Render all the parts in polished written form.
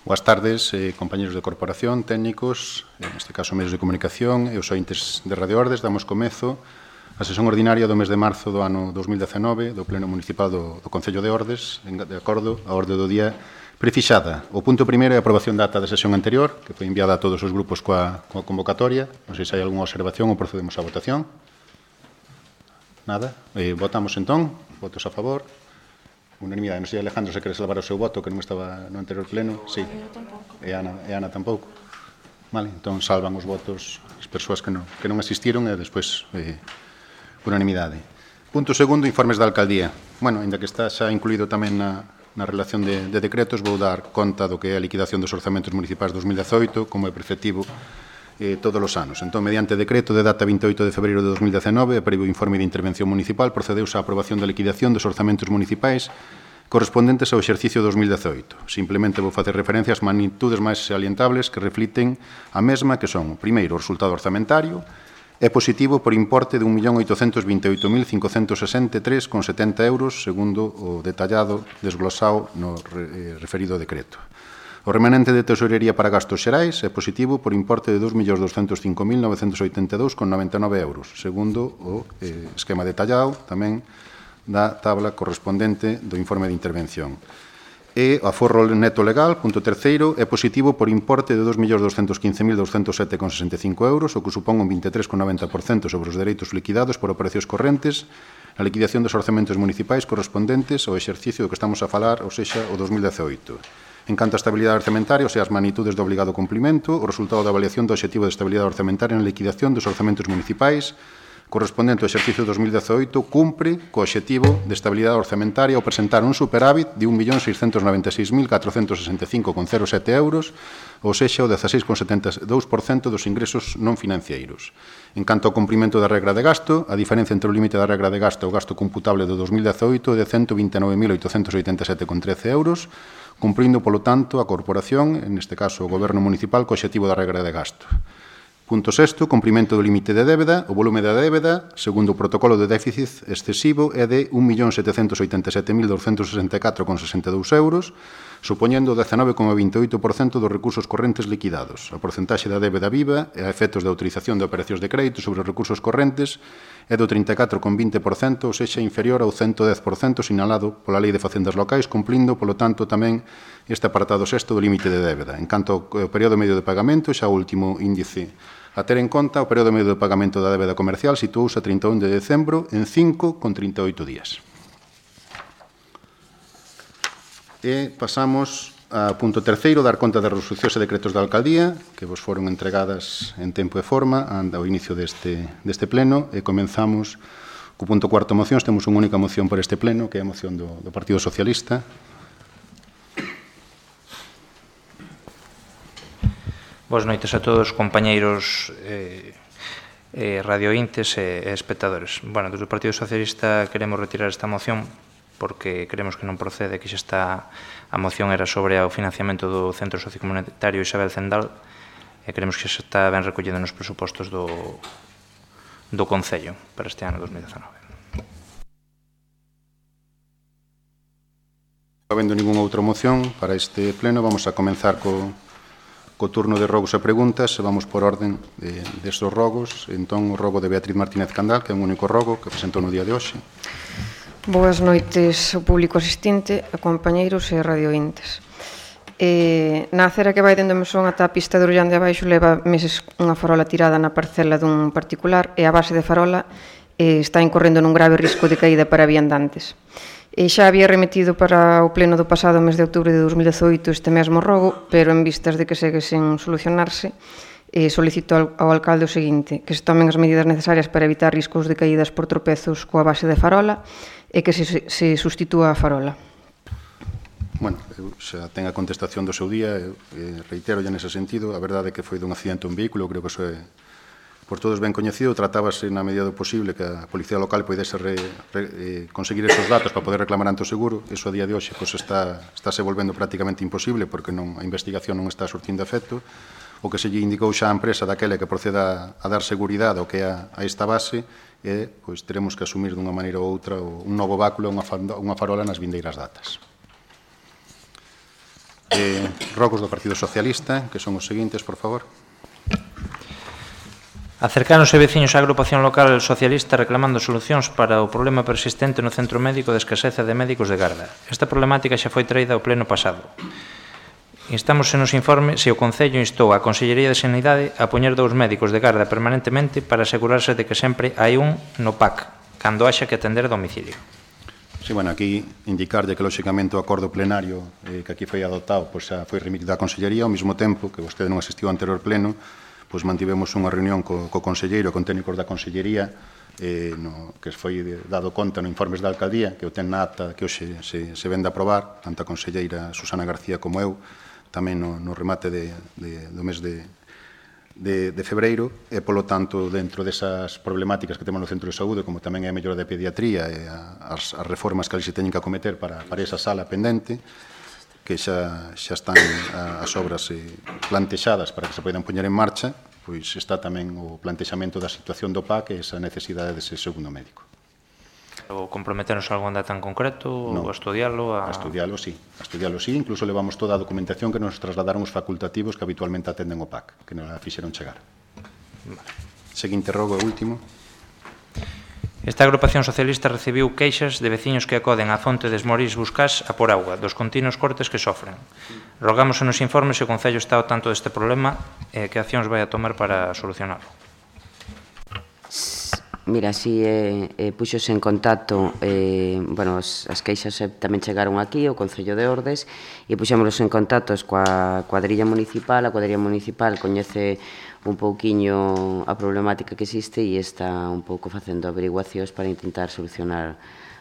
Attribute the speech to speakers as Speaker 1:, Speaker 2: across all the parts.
Speaker 1: Boas tardes, compañeros de corporación, técnicos, neste caso medios de comunicación e os ointes de Radio Ordes. Damos comezo a sesión ordinaria do mes de marzo do ano 2019 do Pleno Municipal do Concello de Ordes, de acordo a orde do día prefixada. O punto primeiro é a aprobación da ata da sesión anterior, que foi enviada a todos os grupos coa convocatoria. Non sei se hai algunha observación ou procedemos á votación. Nada. Votamos entón. Votos a favor. Unanimidade. Non sei, Alejandro, se queres salvar o seu voto, que non estaba no anterior pleno. Sí. E Ana tampouco. Vale, entón salvan os votos as persoas que non asistiron e despois unanimidade. Punto segundo, informes da alcaldía. Bueno, ainda que está xa incluído tamén na relación de decretos, vou dar conta do que é a liquidación dos orzamentos municipais 2018, como é preceptivo todos os anos. Entón, mediante decreto de data 28 de febreiro de 2019, e previo informe de intervención municipal, procedeuse á aprobación da liquidación dos orzamentos municipais correspondentes ao exercicio 2018. Simplemente vou facer referencia ás magnitudes máis salientables que refliten a mesma, que son, primeiro, o resultado orzamentario, é positivo por importe de 1.828.563,70 euros, segundo o detallado desglosado no referido decreto. O remanente de tesorería para gastos xerais é positivo por importe de 2.205.982,99 euros, segundo o esquema detallado tamén da tabla correspondente do informe de intervención. E o aforro neto legal, punto terceiro, é positivo por importe de 2.215.207,65 euros, o que supón un 23,90% sobre os dereitos liquidados por operacións correntes, a liquidación dos orzamentos municipais correspondentes ao exercicio do que estamos a falar, ou sexa, o 2018. En canto á estabilidade orzamentaria, ou sea, as magnitudes do obligado cumplimento, o resultado da avaliación do obxectivo de estabilidade orzamentaria na liquidación dos orzamentos municipais correspondente ao exercicio 2018 cumpre co obxectivo de estabilidade orzamentaria ao presentar un superávit de 1.696.465,07 euros, ou sexa, o 16,72% dos ingresos non financeiros. En canto ao cumprimento da regra de gasto, a diferencia entre o límite da regra de gasto e o gasto computable do 2018 é de 129.887,13 euros, cumprindo, polo tanto, a corporación, neste caso o Goberno Municipal, co obxectivo da regra de gasto. Punto sexto, cumprimento do límite de débeda. O volume da débeda, segundo o protocolo de déficit excesivo, é de 1.787.264,62 euros, supoñendo o 19,28% dos recursos correntes liquidados. A porcentaxe da débeda viva e a efectos da autorización de operacións de crédito sobre os recursos correntes é do 34,20%, ou sexa, inferior ao 110% sinalado pola Lei de Facendas Locais, cumplindo, polo tanto, tamén este apartado sexto do límite de débeda. En canto ao período medio de pagamento, xa o último índice a ter en conta, o período medio de pagamento da débeda comercial situouse a 31 de decembro en 5,38 días. E pasamos ao punto terceiro, dar conta das resolucións e decretos da alcaldía, que vos foron entregadas en tempo e forma ao inicio deste pleno, e comenzamos co punto cuarto, mocións. Temos unha única moción por este pleno, que é a moción do Partido Socialista.
Speaker 2: Boas noites a todos, compañeiros radiointes e espectadores. Bueno, desde o Partido Socialista queremos retirar esta moción porque creemos que non procede, que xa está, a moción era sobre o financiamento do Centro Sociocomunitario Isabel Zendal e creemos que xa está ben recollido nos presupostos do Concello para este ano 2019.
Speaker 1: Habendo ninguna outra moción para este pleno, vamos a comenzar co turno de rogos e preguntas, e vamos por orden destes rogos. Entón, o rogo de Beatriz Martínez Candal, que é un único rogo que presentou no día de hoxe.
Speaker 3: Boas noites ao público asistente, a compañeiros e radiointes. Na acera que vai dende o Mesón ata a pista de Orullán de Abaixo leva meses unha farola tirada na parcela dun particular e a base de farola está incorrendo nun grave risco de caída para viandantes. Xa había remetido para o pleno do pasado mes de outubro de 2018 este mesmo rogo, pero en vistas de que segue sen solucionarse, solicito ao alcalde o seguinte, que se tomen as medidas necesarias para evitar riscos de caídas por tropezos coa base de farola e que se sustitúa a farola.
Speaker 1: Bueno, eu xa ten a contestación do seu día, reitero ya nese sentido, a verdade é que foi dun accidente un vehículo, creo que iso é por todos ben coñecido, tratábase na medida do posible que a Policía Local poidese conseguir esos datos para poder reclamar ante o seguro. Iso a día de hoxe estáse volvendo prácticamente imposible porque a investigación non está surtindo efecto. O que se lle indicou xa a empresa daquela que proceda a dar seguridade ao que é a esta base e pois teremos que asumir dunha maneira ou outra un novo báculo, unha farola nas vindeiras datas. Rogos do Partido Socialista, que son os seguintes, por favor.
Speaker 2: Acercáronse veciños á agrupación local socialista reclamando solucións para o problema persistente no centro médico de escaseza de médicos de garda. Esta problemática xa foi traída ao pleno pasado. Instamos nos informe se o Concello instou a Consellería de Sanidade a poñer 2 médicos de garda permanentemente para asegurarse de que sempre hai un no PAC, cando haxa que atender a domicilio.
Speaker 1: Sí, bueno, aquí indicarlle que, lóxicamente, o acordo plenario que aquí foi adoptado xa foi remitido á Consellería, ao mesmo tempo que vostede non asistiu ao anterior pleno, pois mantivemos unha reunión co conselleiro, con técnicos da Consellería, que foi dado conta no informes da Alcaldía, que o ten na acta que hoxe se vende a aprobar, tanto a conselleira Susana García como eu, tamén no remate do mes de febreiro, e, polo tanto, dentro desas problemáticas que temos no centro de saúde, como tamén é a mellora de pediatría e as reformas que ali se teñen que acometer para esa sala pendente, que xa están as obras plantexadas para que se poidan poñer en marcha, pois está tamén o plantexamento da situación do PAC e esa necesidade dese segundo médico.
Speaker 2: O comprometernos a algún data en concreto, ou a estudialo?
Speaker 1: A estudialo, sí. Incluso levamos toda a documentación que nos trasladaron os facultativos que habitualmente atenden o PAC, que nos la fixeron chegar. Seguinte rogo e último.
Speaker 2: Esta agrupación socialista recibiu queixas de veciños que acoden á fonte de Esmorís Buscás a por auga, dos continuos cortes que sofren. Rogamos nos informes se o Concello está ao tanto deste problema e que accións vai a tomar para solucionarlo.
Speaker 4: Mira, si puxos en contacto, as queixas tamén chegaron aquí, o Concello de Ordes, e puxémonos en contacto coa cuadrilla municipal. A cuadrilla municipal coñece un pouquiño a problemática que existe e está un pouco facendo averiguacións para intentar solucionar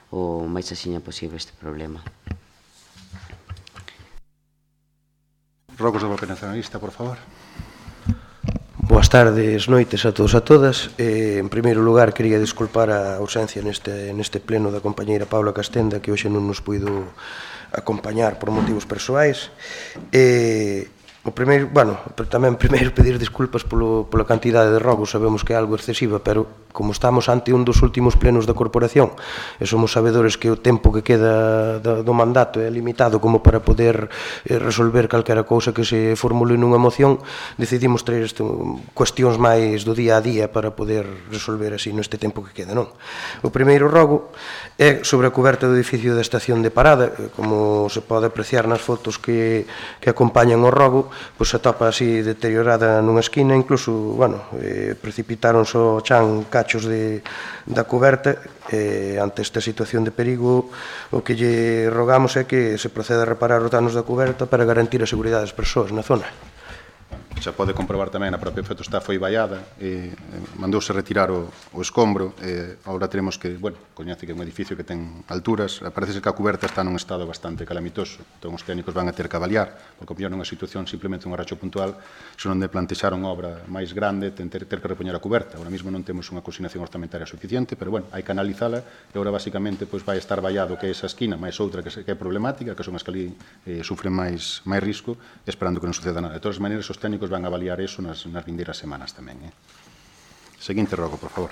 Speaker 4: o máis axiña posible este problema.
Speaker 1: Rogos do Bloque Nacionalista, por favor.
Speaker 5: Boas tardes, noites a todos e a todas. En primeiro lugar, quería disculpar a ausencia neste pleno da compañeira Paula Castenda, que hoxe non nos puido acompañar por motivos persoais. O primeiro, tamén primeiro pedir disculpas pola cantidade de rogos, sabemos que é algo excesiva, pero como estamos ante un dos últimos plenos da corporación e somos sabedores que o tempo que queda do mandato é limitado como para poder resolver calquera cousa que se formule nunha moción, decidimos traer cuestións máis do día a día para poder resolver así neste tempo que queda, non? O primeiro rogo é sobre a coberta do edificio da estación de parada. Como se pode apreciar nas fotos que acompañan o rogo, pois se atopa así deteriorada nunha esquina, incluso, precipitaron só chan cachos da coberta. Ante esta situación de perigo, o que lle rogamos é que se proceda a reparar os danos da coberta para garantir a seguridade das persoas na zona.
Speaker 1: Xa pode comprobar tamén, a propia fotostá foi vallada, mandouse retirar o escombro, agora teremos que, coñece que é un edificio que ten alturas, parece que a cuberta está nun estado bastante calamitoso, entón os técnicos van a ter que avaliar, porque como non é unha situación simplemente un arracho puntual, senón de plantexar unha obra máis grande, ter que repoñer a cuberta. Ahora mesmo non temos unha consignación orzamentaria suficiente, pero hai que analizala, e agora basicamente vai estar vallado que é esa esquina, máis outra que é problemática, que son as que ali sufren máis risco, esperando que non suceda nada. De todas as maneiras, os técnicos van a avaliar eso nas vindeiras semanas tamén. Seguinte rogo, por favor.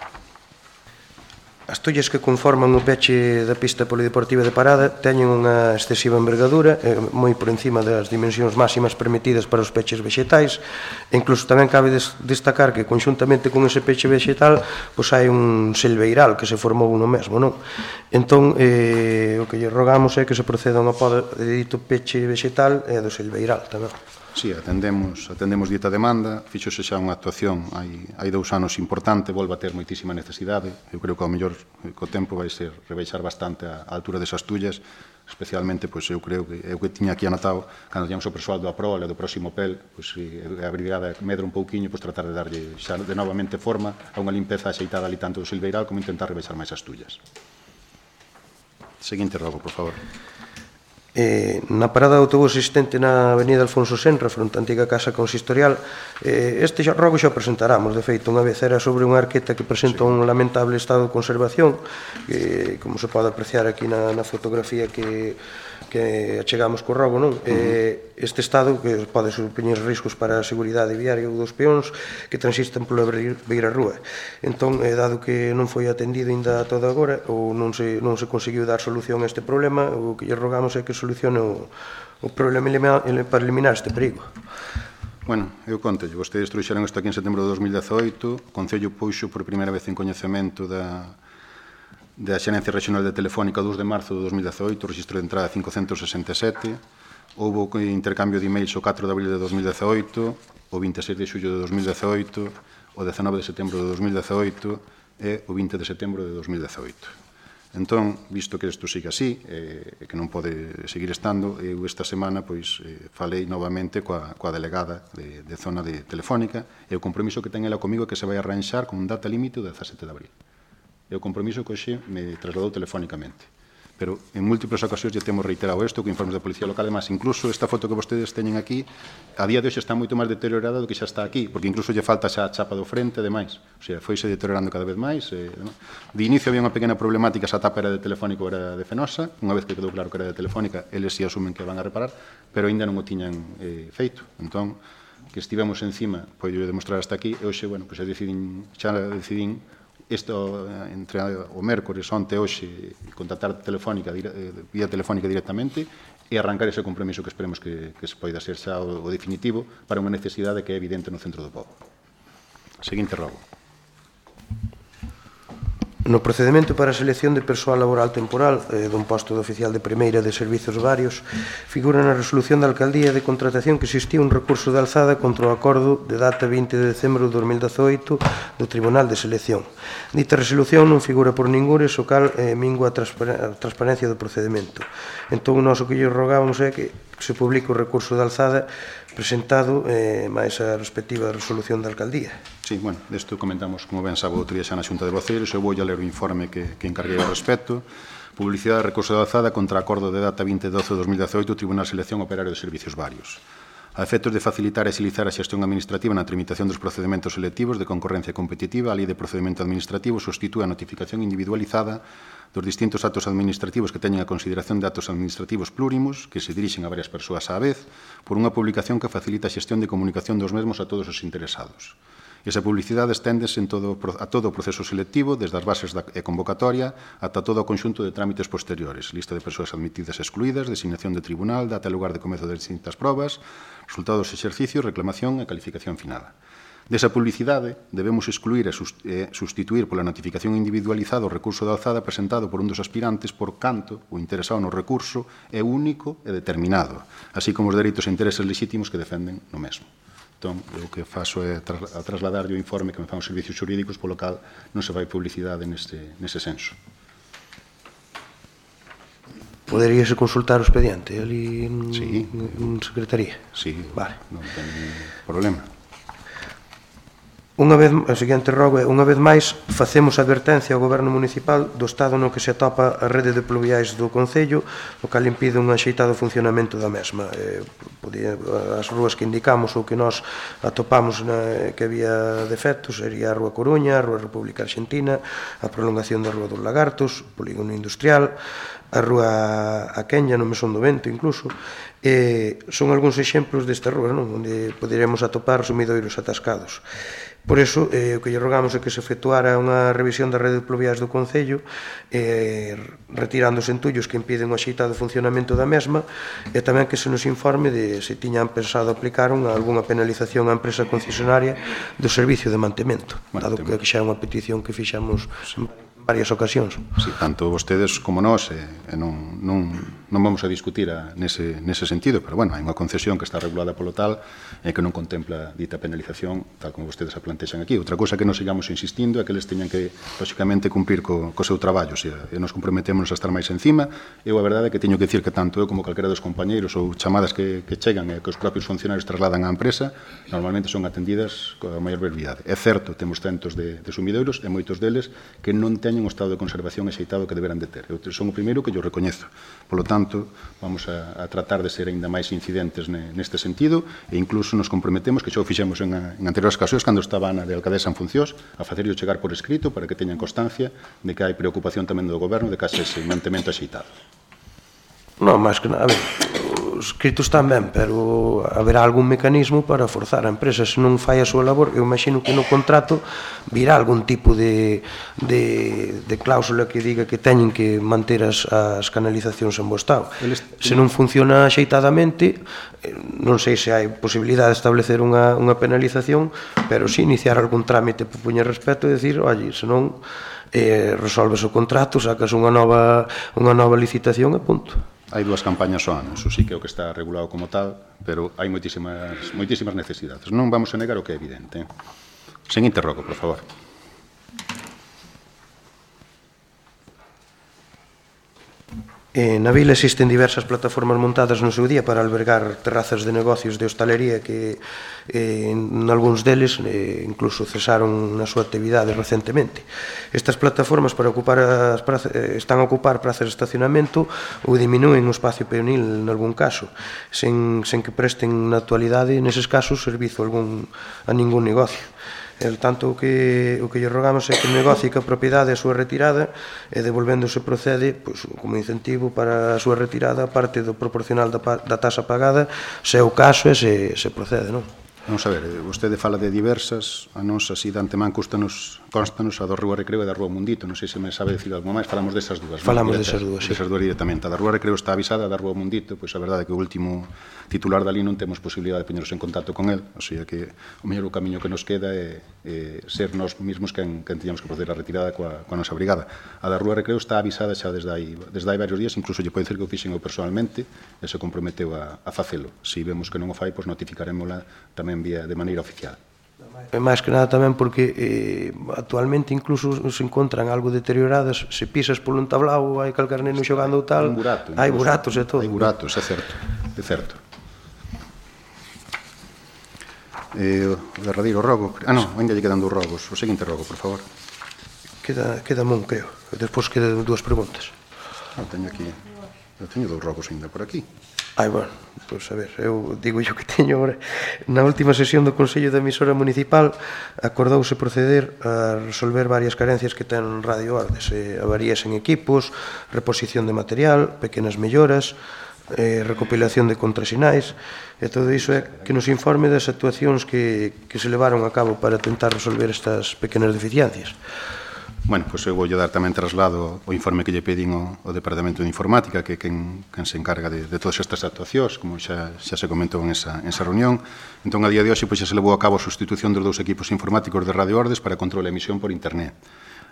Speaker 5: As tollas que conforman o peche da pista polideportiva de Parada teñen unha excesiva envergadura, moi por encima das dimensións máximas permitidas para os peches vexetais, e incluso tamén cabe destacar que conxuntamente con ese peche vexetal hai un silveiral que se formou no mesmo, non? Entón, o que lle rogamos é que se proceda a unha poda de dito peche vexetal e do silveiral tamén.
Speaker 1: Sí, atendemos dita demanda, fixose xa unha actuación hai 2 anos importante, volve a ter moitísima necesidade. Eu creo que ao mellor co tempo vai ser rebeixar bastante a altura desas tullas, especialmente, eu creo que eu que tiña aquí anotado, cando tiñamos o persoal do APROL e do próximo PEL, a brigada medra un pouquiño, tratar de darlle xa de novamente forma a unha limpeza axeitada ali tanto do silveiral como intentar rebeixar máis as tullas. Seguinte rogo, por favor.
Speaker 5: Na parada de autobús existente na avenida Alfonso Senra, fronte á antiga casa consistorial, este rogo xa o presentáramos. De feito, unha vez era sobre unha arqueta que presenta un lamentable estado de conservación, que, como se pode apreciar aquí na fotografía que achegamos co rogo, non? Este estado que pode supoñer riscos para a seguridade viaria ou dos peóns que transistan pola beira rúa. Entón, dado que non foi atendido ainda todo agora ou non se conseguiu dar solución a este problema, o que lle rogamos é que solucione o problema para eliminar este perigo.
Speaker 1: Bueno, eu conto, vostedes trouxeron isto aquí en setembro de 2018, o Concello puxo por primeira vez en coñecemento da Xerencia Regional de Telefónica o 2 de marzo de 2018, o registro de entrada 567, houve intercambio de emails o 4 de abril de 2018, o 26 de xullo de 2018, o 19 de setembro de 2018 e o 20 de setembro de 2018. Entón, visto que isto sigue así, que non pode seguir estando, eu esta semana falei novamente coa delegada de zona de Telefónica e o compromiso que ten ela comigo que se vai arranxar con data límite o 17 de abril. É o compromiso que hoxe me trasladou telefónicamente. Pero en múltiples ocasións já temos reiterado isto, con informes da Policía Local, además, incluso esta foto que vostedes teñen aquí, a día de hoxe está moito máis deteriorada do que xa está aquí, porque incluso lle falta xa a chapa do frente e demais. O sea, foise deteriorando cada vez máis. De inicio había unha pequena problemática, esa tapa era de Telefónico, era de Fenosa, unha vez que quedou claro que era de Telefónica, eles si asumen que van a reparar, pero aínda non o tiñan feito. Entón, que estivemos encima, podo demostrar hasta aquí, e hoxe, bueno, xa decidín isto entre o mércores, onte, hoxe, contactar vía telefónica directamente e arrancar ese compromiso que esperemos que se poida ser xa o definitivo para unha necesidade que é evidente no centro do pobo. Seguinte rogo.
Speaker 5: No procedemento para a selección de persoal laboral temporal dun posto de oficial de primeira de servizos varios figura na resolución da Alcaldía de contratación que existía un recurso de alzada contra o acordo de data 20 de decembro de 2018 do Tribunal de Selección. Dita resolución non figura por ningures, o cal mingua a transparencia do procedemento. Entón, o noso que lle rogábamos é que se publique o recurso de alzada presentado máis a respectiva resolución da Alcaldía.
Speaker 1: Sí, bueno, desto comentamos, como ben sabe, outro día xa na Xunta de Voceiros, eu vou a ler o informe que encarguei ao respecto. Publicidade de recurso de alzada contra acordo de data 20/12 de 2018, Tribunal de Selección Operario de Servicios Varios. A efectos de facilitar e agilizar a xestión administrativa na tramitación dos procedementos selectivos de concorrencia competitiva, a Lei de Procedemento Administrativo sustitúe a notificación individualizada dos distintos actos administrativos que teñen a consideración de actos administrativos plúrimos que se dirixen a varias persoas á vez por unha publicación que facilita a xestión de comunicación dos mesmos a todos os interesados. Esa publicidade esténdese a todo o proceso selectivo, desde as bases e convocatoria ata todo o conxunto de trámites posteriores, lista de persoas admitidas e excluídas, designación de tribunal, data e lugar de comezo de distintas probas, resultados de exercicio, reclamación e calificación final. Desa publicidade debemos excluir e sustituir pola notificación individualizada o recurso de alzada presentado por un dos aspirantes por canto o interesado no recurso é único e determinado, así como os dereitos e intereses legítimos que defenden no mesmo. Entón, o que faço é trasladar o informe que me fan os servicios xurídicos, polo cal non se vai publicidade nese senso.
Speaker 5: Poderíase consultar o expediente ali en secretaría?
Speaker 1: Sí,
Speaker 5: vale.
Speaker 1: Non ten problema.
Speaker 5: O seguinte rogo é, unha vez máis, facemos advertencia ao Goberno Municipal do estado no que se atopa a rede de pluviais do Concello, o cal impide un axeitado funcionamento da mesma. As rúas que indicamos ou que nós atopamos que había defectos sería a Rúa Coruña, a Rúa República Argentina, a prolongación da Rúa dos Lagartos, o Polígono Industrial, a Rúa A Quenya, no Mesón do Vento, incluso. Son algúns exemplos desta rúa, onde poderíamos atopar sumidoiros atascados. Por iso, o que lle rogamos é que se efectuara unha revisión da rede de pluviais do Concello, retirando os entullos que impiden o axeitado funcionamento da mesma, e tamén que se nos informe de se tiñan pensado aplicar algunha penalización á empresa concesionaria do servicio de mantemento, dado que xa é unha petición que fixamos en varias ocasións.
Speaker 1: Sí, tanto vostedes como nós, non vamos a discutir nese sentido, pero, bueno, hai unha concesión que está regulada polo tal e que non contempla dita penalización, tal como vostedes a plantexan aquí. Outra cousa que nos sigamos insistindo é que eles teñan que, lóxicamente, cumprir co seu traballo, e nos comprometemos a estar máis encima. Eu, a verdade, é que teño que dicir que tanto eu como calquera dos compañeiros ou chamadas que chegan e que os propios funcionarios trasladan á empresa, normalmente son atendidas coa maior brevidade. É certo, temos centos de sumidoiros e moitos deles que non teñen o estado de conservación axeitado que deberán de ter. Eu son o primeiro que yo recoñezo. Polo tanto, vamos a tratar de ser aínda máis incidentes neste sentido e incluso nos comprometemos, que xa o fixemos en anteriores ocasións, cando estaba Ana de alcaldesa en funcións, a facerlo chegar por escrito para que teñan constancia de que hai preocupación tamén do goberno de que haxe ese mantemento axeitado.
Speaker 5: Non, máis que nada, escritos tamén, pero haberá algún mecanismo para forzar a empresa. Se non fai a súa labor, eu imagino que no contrato virá algún tipo de cláusula que diga que teñen que manter as canalizacións en bo estado. Se non funciona axeitadamente, non sei se hai posibilidade de establecer unha penalización, pero si iniciar algún trámite por poñer respeto e dicir, oye, se non resolves o contrato, sacas unha nova licitación e punto.
Speaker 1: Hai 2 campañas ao ano, iso sí que é o que está regulado como tal, pero hai moitísimas necesidades. Non vamos a negar o que é evidente. Seguinte rogo, por favor.
Speaker 5: Na vila existen diversas plataformas montadas no seu día para albergar terrazas de negocios de hostalería que en algúns deles incluso cesaron na súa actividade recentemente. Estas plataformas están a ocupar prazas de estacionamento ou diminúen o espacio peonil en algún caso, sen que presten na actualidade neses casos servizo a ningún negocio. Tanto o que lle rogamos é que o negocio que a propiedade a súa retirada e devolvéndose procede como incentivo para a súa retirada parte do proporcional da tasa pagada, se é o caso e se procede, non?
Speaker 1: Vamos a ver, vostede fala de diversas, a nos así de antemán constanos a do Rúa Recreo e da Rúa Mundito, non sei se me sabe decir algo máis, falamos desas dúas.
Speaker 5: Falamos desas dúas, sí.
Speaker 1: Desas dúas directamente. A da Rúa Recreo está avisada, a da Rúa Mundito, pois a verdade é que o último titular dali non temos posibilidade de poñernos en contacto con el, o sea que o mellor o camiño que nos queda é ser nós mesmos quen tiñamos que proceder a retirada coa nosa brigada. A da Rúa Recreo está avisada xa desde hai varios días, incluso lle podo dicir que o fixen eu personalmente e se comprometeu a facelo. Se vemos que non o fai, pois notificarémola tamén de maneira oficial.
Speaker 5: E máis que nada tamén porque actualmente incluso se encontran algo deterioradas, se pisas polo entablao, hai calcar neno xogando ou tal, hai buratos e todo.
Speaker 1: Hai buratos, é certo. O derradeiro rogo, ainda lle quedan 2 rogos. O seguinte rogo, por favor.
Speaker 5: Queda mon, creo. Despois quedan 2 preguntas.
Speaker 1: Teño 2 rogos ainda por aquí.
Speaker 5: Bueno, pois a ver, eu digo yo que teño agora. Na última sesión do Consello de Emisora Municipal acordouse proceder a resolver varias carencias que ten Radio Ordes, avarías en equipos, reposición de material, pequenas melloras, recopilación de contrasinais, e todo iso é que nos informe das actuacións que se levaron a cabo para tentar resolver estas pequenas deficiencias.
Speaker 1: Bueno, pois eu vou dar tamén traslado o informe que lle pedín ao Departamento de Informática, que é quen se encarga de todas estas actuacións, como xa se comentou en esa reunión. Entón, a día de hoxe, pois xa se levou a cabo a sustitución dos 2 equipos informáticos de Radio Ordes para control e emisión por internet.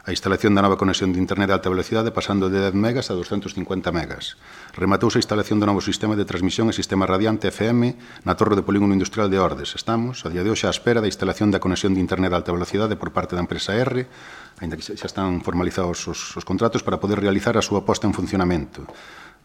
Speaker 1: A instalación da nova conexión de internet de alta velocidade pasando de 10 megas a 250 megas. Rematouse a instalación do novo sistema de transmisión e sistema radiante FM na Torre do Polígono Industrial de Ordes. Estamos, a día de hoxe, á espera da instalación da conexión de internet de alta velocidade por parte da empresa R, ainda que xa están formalizados os contratos para poder realizar a súa posta en funcionamento.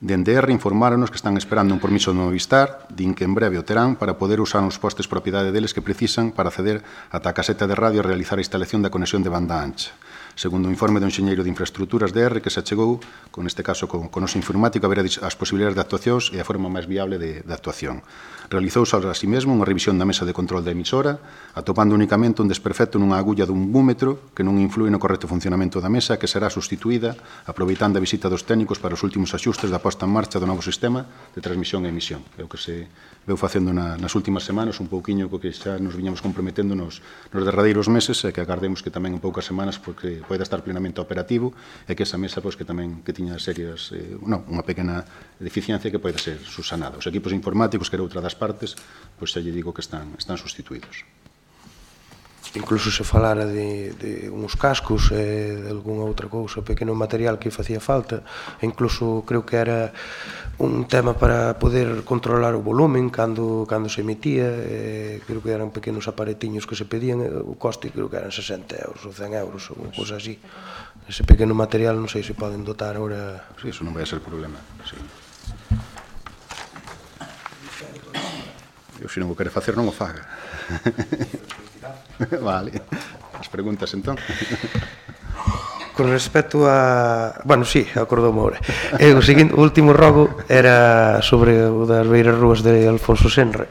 Speaker 1: Dende R informáronos que están esperando un permiso do Movistar, din que en breve o terán para poder usar os postes propiedade deles que precisan para acceder ata a caseta de radio e realizar a instalación da conexión de banda ancha. Segundo o informe do enxeñeiro de infraestructuras de R que se achegou, con este caso con noso informático, haberá as posibilidades de actuacións e a forma máis viable de actuación. Realizouse así mesmo unha revisión da mesa de control da emisora, atopando únicamente un desperfecto nunha agulla dun búmetro que non inflúe no correcto funcionamento da mesa, que será sustituída aproveitando a visita dos técnicos para os últimos axustes da posta en marcha do novo sistema de transmisión e emisión. É o que se veu facendo nas últimas semanas, un pouquiño co que xa nos viñamos comprometendo nos derradeiros meses, e que agardemos que tamén en poucas semanas porque poida estar plenamente operativo e que esa mesa que tiña serias, unha pequena deficiencia que poida ser subsanada. Os equipos informáticos, que era outra das partes, pois xa lle digo que están sustituídos.
Speaker 5: Incluso se falara de uns cascos e de algunha outra cousa, pequeno material que facía falta, e incluso creo que era un tema para poder controlar o volumen cando se emitía, creo que eran pequenos aparetiños que se pedían, o coste creo que eran 60 euros ou 100 euros ou cousa así. Ese pequeno material non sei se poden dotar agora.
Speaker 1: Sí, eso non vai a ser problema, sí. Eu se non o quere facer non o faga. Vale. As preguntas, entón.
Speaker 5: Con respecto a... Bueno, sí, acordoume agora. O último rogo era sobre o das beiras rúas de Alfonso Senra.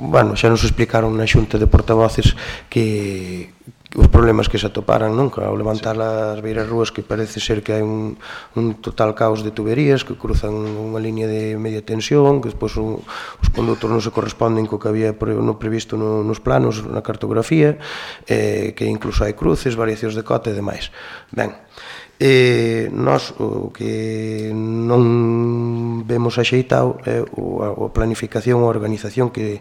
Speaker 5: bueno, xa nos explicaron na xunta de portavoces que os problemas que se atoparan, non? Ao levantar as beiras rúas, que parece ser que hai un total caos de tuberías que cruzan unha línea de media tensión, que despois os condutos non se corresponden co que había previsto nos planos, na cartografía, que incluso hai cruces, variacións de cota e demais. Ben, nós o que non vemos axeitado é a planificación, a organización que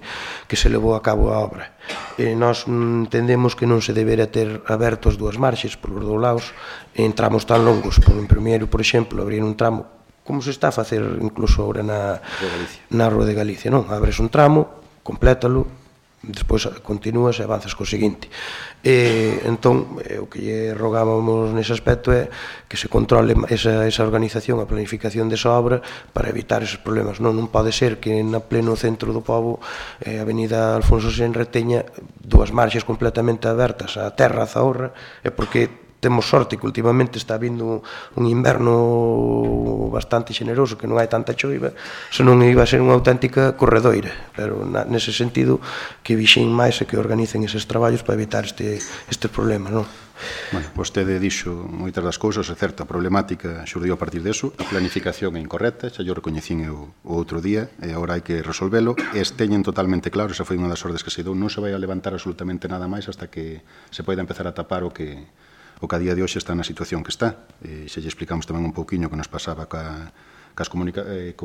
Speaker 5: se levou a cabo a obra. Nós entendemos que non se debería ter abertos dúas marxes por os dous lados en tramos tan longos. Primeiro, por exemplo, abrir un tramo, como se está a facer incluso agora na Rúa de Galicia, non? Abres un tramo, complétalo, despois continúas e avanzas co seguinte. Entón, o que lle rogábamos nese aspecto é que se controle esa organización, a planificación desa obra para evitar esos problemas. Non pode ser que na pleno centro do pobo a avenida Alfonso Senra teña dúas marxes completamente abertas, a terra, a Zahorra, é porque temos sorte que últimamente está vindo un inverno bastante xeneroso, que non hai tanta choiva, senón iba a ser unha auténtica corredoira, pero nese sentido que vixen máis e que organicen eses traballos para evitar este problema, non?
Speaker 1: Bueno, vostede dixo moitas das cousas, é certo, a problemática xurdiu a partir deso, a planificación é incorrecta, xa yo recoñecín o outro día, e agora hai que resolvelo, e teñen totalmente claro, esa foi unha das ordes que se dou, non se vai a levantar absolutamente nada máis hasta que se poida empezar a tapar o que a día de hoxe está na situación que está. Xa lle explicamos tamén un pouquiño que nos pasaba co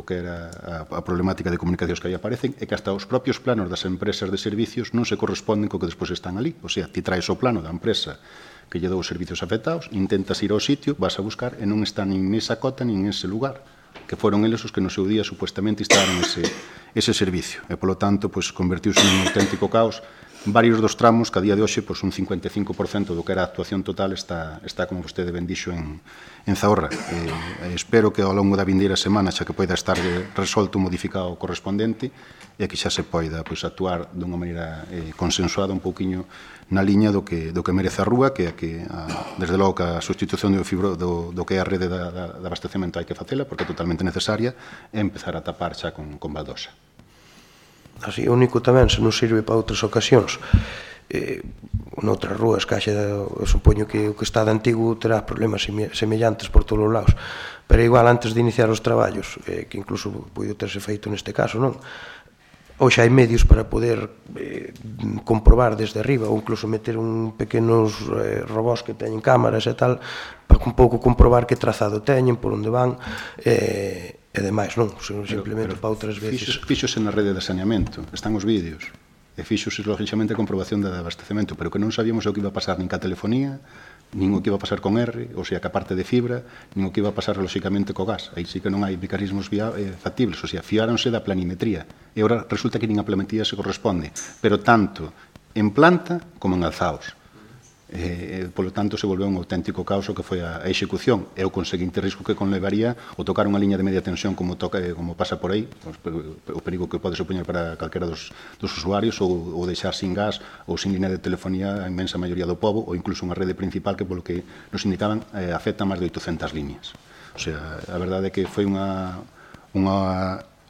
Speaker 1: que era a problemática de comunicacións que aí aparecen, e que hasta os propios planos das empresas de servicios non se corresponden co que despois están ali. O sea, ti traes o plano da empresa que lle dou os servicios afectados, intentas ir ao sitio, vas a buscar e non están nin nesa cota nin nese lugar, que foron eles os que no seu día supuestamente instalaron ese servicio. E, polo tanto, convertiuse nun auténtico caos. Varios dos tramos que a día de hoxe un 55% do que era a actuación total está, como vostede ben dixo, en Zahorra. Espero que ao longo da vindeira semana xa que poida estar resolto o modificado correspondente e que xa se poida actuar dunha maneira consensuada un pouquiño na liña do que merece a rúa, que é que desde logo que a sustitución do que é a rede de abastecemento hai que facela porque é totalmente necesaria e empezar a tapar xa con baldosa.
Speaker 5: Así, o único tamén, se non sirve para outras ocasións, noutras rúas, eu supoño que o que está de antigo terá problemas semellantes por todos os lados, pero igual antes de iniciar os traballos, que incluso pode terse feito neste caso, non? Hoxe hai medios para poder comprobar desde arriba ou incluso meter pequenos robós que teñen cámaras e tal para un pouco comprobar que trazado teñen, por onde van e demais, non? Simplemente para outras veces.
Speaker 1: Fíxose na rede de saneamento, están os vídeos e fíxose lógicamente a comprobación de abastecemento, pero que non sabíamos o que iba a pasar nin ca telefonía, nin o que iba a pasar con R, ou sea, que a parte de fibra, nin o que iba a pasar lógicamente co gas. Aí sí que non hai mecanismos factibles, ou sea, fiáronse da planimetría. E agora resulta que nin a planimetría se corresponde, pero tanto en planta como en alzaos. Polo tanto, se volveu un auténtico caos o que foi a execución e o conseguinte risco que conlevaría o tocar unha liña de media tensión como pasa por aí, o perigo que pode supoñer para calquera dos usuarios ou deixar sin gas ou sin línea de telefonía a inmensa maioría do pobo ou incluso unha rede principal que, polo que nos indicaban, afecta máis de 800 líneas. O sea, a verdade é que foi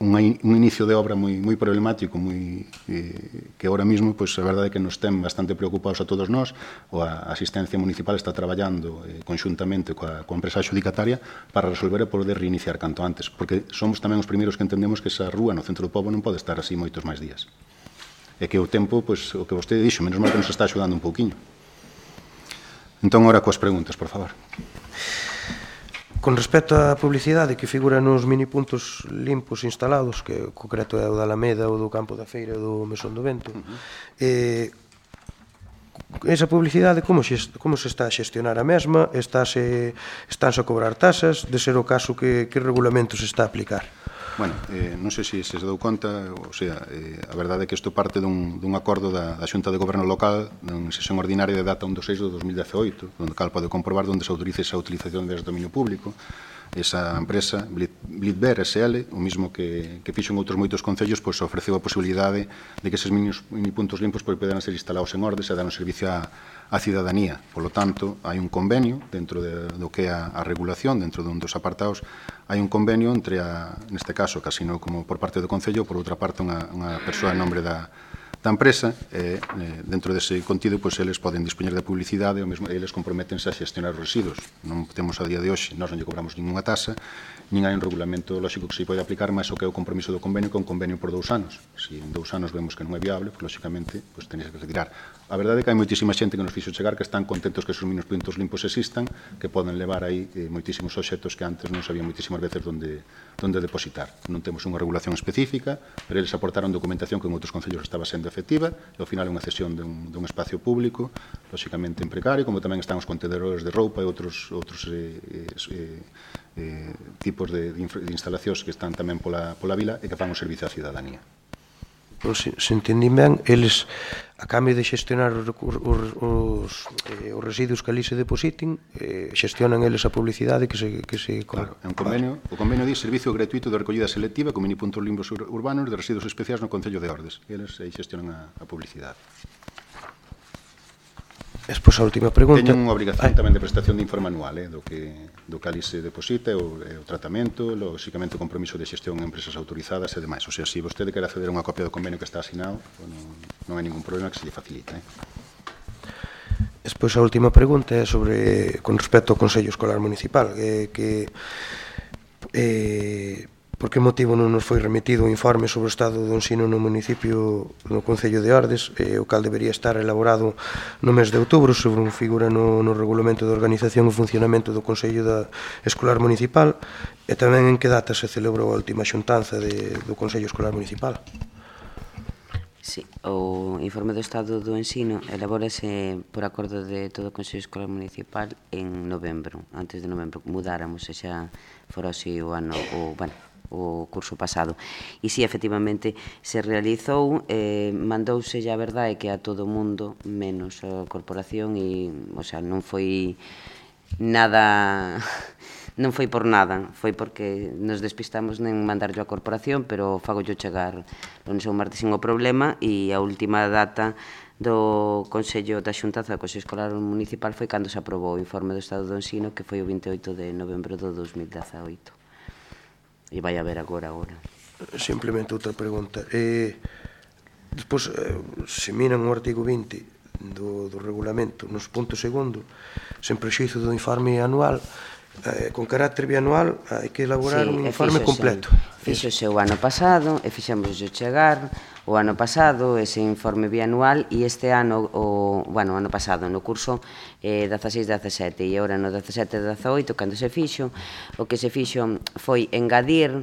Speaker 1: un inicio de obra moi problemático, que ahora mismo, a verdade é que nos ten bastante preocupados a todos nós. A asistencia municipal está traballando conxuntamente coa empresa adxudicataria para resolver e poder reiniciar canto antes, porque somos tamén os primeiros que entendemos que esa rúa no centro do pobo non pode estar así moitos máis días. E que o tempo, o que vostede dixo, menos mal que nos está axudando un pouquiño. Entón, ora coas preguntas, por favor.
Speaker 5: Con respecto á publicidade que figura nos minipuntos limpos instalados, que o concreto é o da Alameda, o do Campo da Feira e do Mesón do Vento, esa publicidade como se está a xestionar a mesma? Estánse a cobrar tasas? De ser o caso, que regulamento se está a aplicar?
Speaker 1: Bueno, non sei se dou conta, o sea, a verdade é que isto parte dun acordo da Xunta de Goberno Local en sesión ordinaria de data 1 de 6 de 2018, onde cal pode comprobar onde se autoriza esa utilización de dominio público. Esa empresa, Blitber SL, o mismo que fixo en outros moitos concellos, ofreceu a posibilidade de que eses minipuntos limpos poderan ser instalados en ordes e dar un servicio á cidadanía. Por lo tanto, hai un convenio dentro do que é a regulación, dentro dun dos apartados, hai un convenio entre, neste caso, casi non como por parte do Concello, por outra parte, unha persoa en nombre da empresa, dentro dese contido, pois, eles poden dispoñer de publicidade, ou mesmo eles comprométense a xestionar os residuos. Non temos a día de hoxe, nós non lle cobramos ninguna tasa, nin hai un regulamento lógico que se pode aplicar, mas o que é o compromiso do convenio, que é un convenio por 2 anos. Se en 2 anos vemos que non é viable, pois, lógicamente, pois, tenéis que retirar. A verdade é que hai moitísima xente que nos fixo chegar que están contentos que esos minos puntos limpos existan, que poden levar aí moitísimos obxectos que antes non sabían moitísimas veces onde depositar. Non temos unha regulación específica, pero eles aportaron documentación que en outros concellos estaba sendo efectiva, e ao final é unha cesión dun espacio público, lógicamente en precario, como tamén están os contedores de roupa e outros tipos de instalacións que están tamén pola vila e que fan o servicio á cidadanía.
Speaker 5: Se entendín ben, eles, a cambio de xestionar os residuos que ali se depositen, xestionan eles a publicidade que se...
Speaker 1: Claro, é un convenio, o convenio di servicio gratuito de recollida selectiva con mini puntos limpos urbanos de residuos especiais no Concello de Ordes. Eles aí xestionan a publicidade.
Speaker 5: Despois a última pregunta.
Speaker 1: Teñen unha obrigación tamén de prestación de informe anual do que ali se deposita, o tratamento, lógicamente o compromiso de xestión en empresas autorizadas e demais. O sea, se vostede quer acceder a unha copia do convenio que está asinado, non hai ningún problema que se lle facilita.
Speaker 5: Despois a última pregunta é con respecto ao Consello Escolar Municipal, por que motivo non nos foi remitido o informe sobre o estado do ensino no municipio, no Concello de Ordes, o cal debería estar elaborado no mes de outubro, sobre un figura no regulamento de organización e funcionamento do Consello Escolar Municipal, e tamén en que data se celebrou a última xuntanza do Consello Escolar Municipal?
Speaker 4: Sí, o informe do estado do ensino elabórase por acordo de todo o Consello Escolar Municipal en novembro, antes de novembro, mudáramos, e xa fora así o ano, o curso pasado. E si, efectivamente, se realizou, mandouse, a verdade, que a todo o mundo, menos a corporación, e, o sea, non foi nada... Non foi por nada, foi porque nos despistamos en mandarlo á corporación, pero fagollo chegar lunes ou martes sin o problema, e a última data do Consello da Xuntanza do Consello Escolar Municipal foi cando se aprobou o informe do estado do ensino, que foi o 28 de novembro do 2018. E vai haber agora.
Speaker 5: Simplemente outra pregunta. Despois, se miran o artigo 20 do regulamento, nos punto segundo, sen prexuízo do informe anual, con carácter bianual, hai que elaborar un informe completo.
Speaker 4: Fíxose o ano pasado, e fixemos chegar o ano pasado ese informe bianual, e este ano, o ano pasado, no curso 16-17, e agora no 17-18, cando se fixo, o que se fixo foi engadir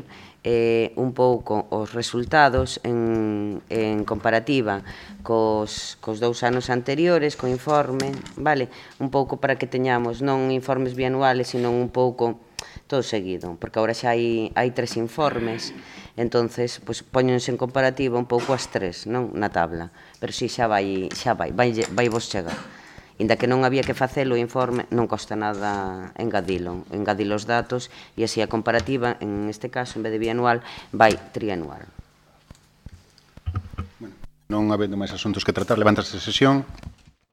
Speaker 4: un pouco os resultados en comparativa cos 2 anos anteriores, co informe, vale? Un pouco para que teñamos non informes bianuales, sino un pouco todo seguido, porque agora xa hai 3 informes, entonces poñense en comparativa un pouco as 3, non? Na tabla, pero si xa vai vos chegar. Inda que non había que facelo o informe, non costa nada engadilo os datos, e así a comparativa, en este caso, en vez de bianual, vai trianual.
Speaker 1: Non habendo máis asuntos que tratar, levántase a sesión.